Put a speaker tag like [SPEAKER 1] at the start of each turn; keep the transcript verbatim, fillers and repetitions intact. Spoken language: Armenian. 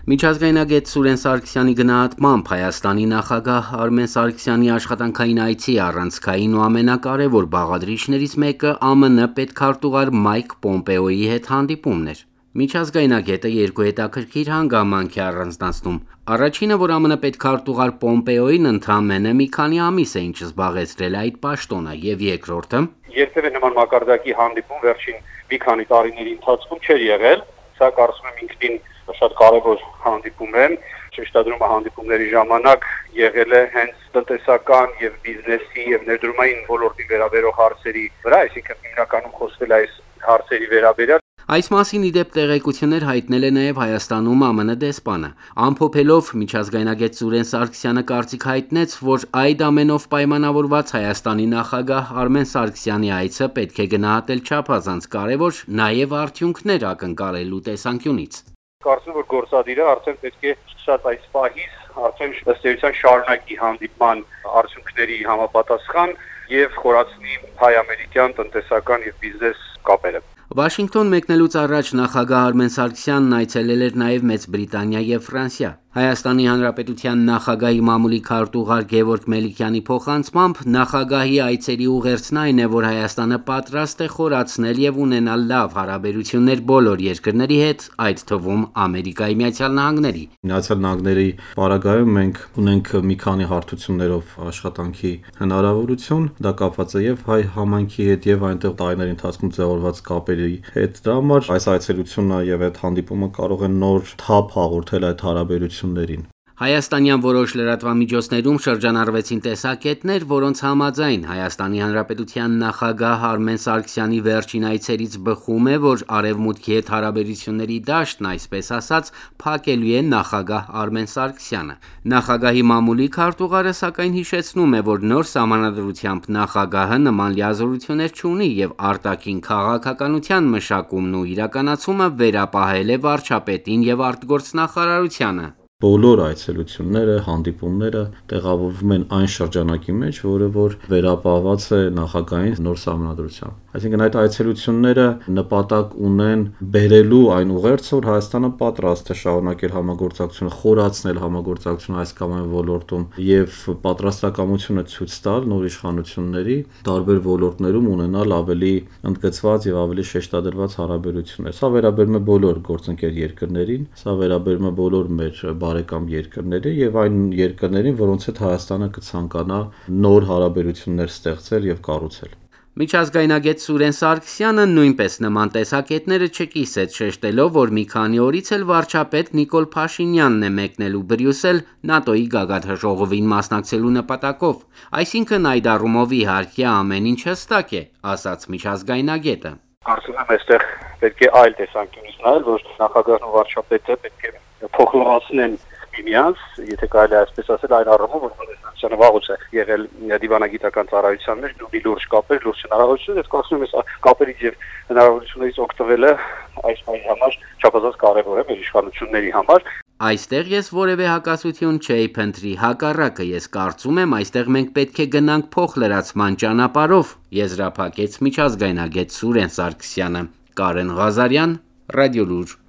[SPEAKER 1] Միջազգայնագետ Սուրեն Սարգսյանի գնահատմամբ Հայաստանի նախագահ Արմեն Սարգսյանի աշխատանքային այցի առանցքային ու ամենակարևոր բաղադրիչներից մեկը ԱՄՆ պետքարտուղար Մայք Պոմպեոյի հետ հանդիպումն էր։ Միջազգայնագետը երկու հետաքրքիր հանգամանք է առանձնացնում։ Առաջինը, որ ԱՄՆ պետքարտուղար Պոմպեոյին ընդամենը մի քանի ամիս է ինչ զբաղեցրել այդ պաշտոնը, եւ երկրորդը,
[SPEAKER 2] երբևէ նման մակարդակի հանդիպում վերջին մի քանի տարիների ընթացքում չէր եղել, սա կարծում եմ ինքնին շատ կարևոր հանդիպում է։ Շեշտադրումը հանդիպումների ժամանակ եղել է հենց տնտեսական եւ բիզնեսի եւ ներդրումային ոլորտի վերաբերող հարցերի վրա, այսինքն հիմնականում խոսվել է այս հարցերի վերաբերյալ։
[SPEAKER 1] Այս մասին ի դեպ տեղեկություններ հայտնել է նաև Հայաստանում ԱՄՆ դեսպանը։ Ամփոփելով միջազգայնագետ Սուրեն Սարգսյանը կարծիք հայտնեց, որ այդ ամենով պայմանավորված Հայաստանի նախագահ Արմեն Սարգսյանի այցը պետք է գնահատել չափազանց կարևոր նաև արդյունքներ ակնկալելու տեսանկյունից։
[SPEAKER 2] Կարծում եմ, որ գործադիրը արդեն պետք է շատ այս պահից արդեն ըստ էության շարունակի հանդիպման արդյունքների համապատասխան եւ խորացնի հայ-ամերիկյան տնտեսական եւ բիզնես կապերը։
[SPEAKER 1] Վաշինգտոն մեկնելուց առաջ նախագահ Արմեն Սարգսյանն այցելել էր նաև Մեծ Բրիտանիա եւ Ֆրանսիա։ Հայաստանի Հանրապետության նախագահի մամուլի քարտուղար Գևորգ Մելիքյանի փոխանցմամբ նախագահի այցերի ուղերձն այն է, որ Հայաստանը պատրաստ է խորացնել եւ ունենալ լավ հարաբերություններ բոլոր երկրների հետ, այդ թվում Ամերիկայի Միացյալ Նահանգների։
[SPEAKER 3] Միացյալ Նահանգների պարագայում մենք ունենք մի քանի հարթություններով աշխատանքի հնարավորություն, դա կապված է եւ հայ համայնքի հետ եւ այնտեղ տարիների ընթացքում ձևավորված կապերի հետ։ Դրա համար այս այցելությունը եւ այդ հանդիպումը կարող է նոր թափ հաղորդել այդ հարաբերություններին։
[SPEAKER 1] Հայաստանյան որոշ լրատվամիջոցներում շրջանառվեցին տեսակետներ, որոնց համաձայն Հայաստանի Հանրապետության նախագահ Արմեն Սարգսյանի վերջին այցերից բխում է, որ արևմուտքի հետ հարաբերությունների դաշտն, այսպես ասած, փակելու է նախագահ Արմեն Սարգսյանը։ Նախագահի մամուլի քարտուղարը սակայն հիշեցնում է, որ նոր սահմանադրությամբ նախագահը նման լիազորություններ չունի եւ արտաքին քաղաքականության մշակումն ու իրականացումը վերապահել է վարչապետին եւ արտգործնախարարությանը։
[SPEAKER 3] Բոլոր այցելությունները, հանդիպումները տեղավորվում են այն շրջանակի մեջ, որը որ վերապահված է նախագահային նոր սահմանադրությամբ։ Այսինքն այդ այցելությունները նպատակ ունեն բերելու այն ուղերձը, որ Հայաստանը պատրաստ է շարունակել համագործակցությունը, խորացնել համագործակցությունը այս կամ այն ոլորտում եւ պատրաստակամությունը ցույց տալ նոր իշխանությունների տարբեր ոլորտներում ունենալ ավելի ընդգծված եւ ավելի շեշտադրված հարաբերություններ։ Սա վերաբերում է բոլոր գործընկեր երկրներին, սա վերաբերում է բոլոր մեր բարեկամ երկրների եւ այն երկրներին, որոնց հետ Հայաստանը կցանկանա նոր հարաբերություններ ստեղծել եւ կառուցել։
[SPEAKER 1] Միջազգայնագետ Սուրեն Սարգսյանը նույնպես նման տեսակետները չկիսեց, շեշտելով, որ մի քանի օրից էլ վարչապետ Նիկոլ Փաշինյանն է մեկնելու Բրյուսել ՆԱՏՕ-ի գագաթնաժողովին մասնակցելու նպատակով։ Այսինքն այդ առումով իհարկե ամեն ինչ հստակ է, ասաց միջազգայնագետը։
[SPEAKER 2] Կարծում եմ, այստեղ պետք է այլ տեսանկյունից նայել, որ նախագահն ու վարչապետը պետք է փոխհորացնեն միմյանց, եթե կարելի է այսպես ասել, այն առումով, որ Հայաստանը վաղուց է եղել դիվանագիտական ծառայության մեջ, ունի լուրջ կապեր, լուրջ հնարավորություններ, ես կարծում եմ, այս կապերից եւ հնարավորություններից օգտվելը այս բանի համար չափազանց կարեւոր է մեր իշխանությունների համար։
[SPEAKER 1] Այստեղ ես որևէ հակասություն չէի փնտրի, հակառակը ես կարծում եմ, այստեղ մենք պետք է գնանք փոխլրացման ճանապարհով, եզրափակեց միջազգայնագետ Սուրեն Սարգսյանը։ Կարեն Ղազարյան, Ռադիոլուր։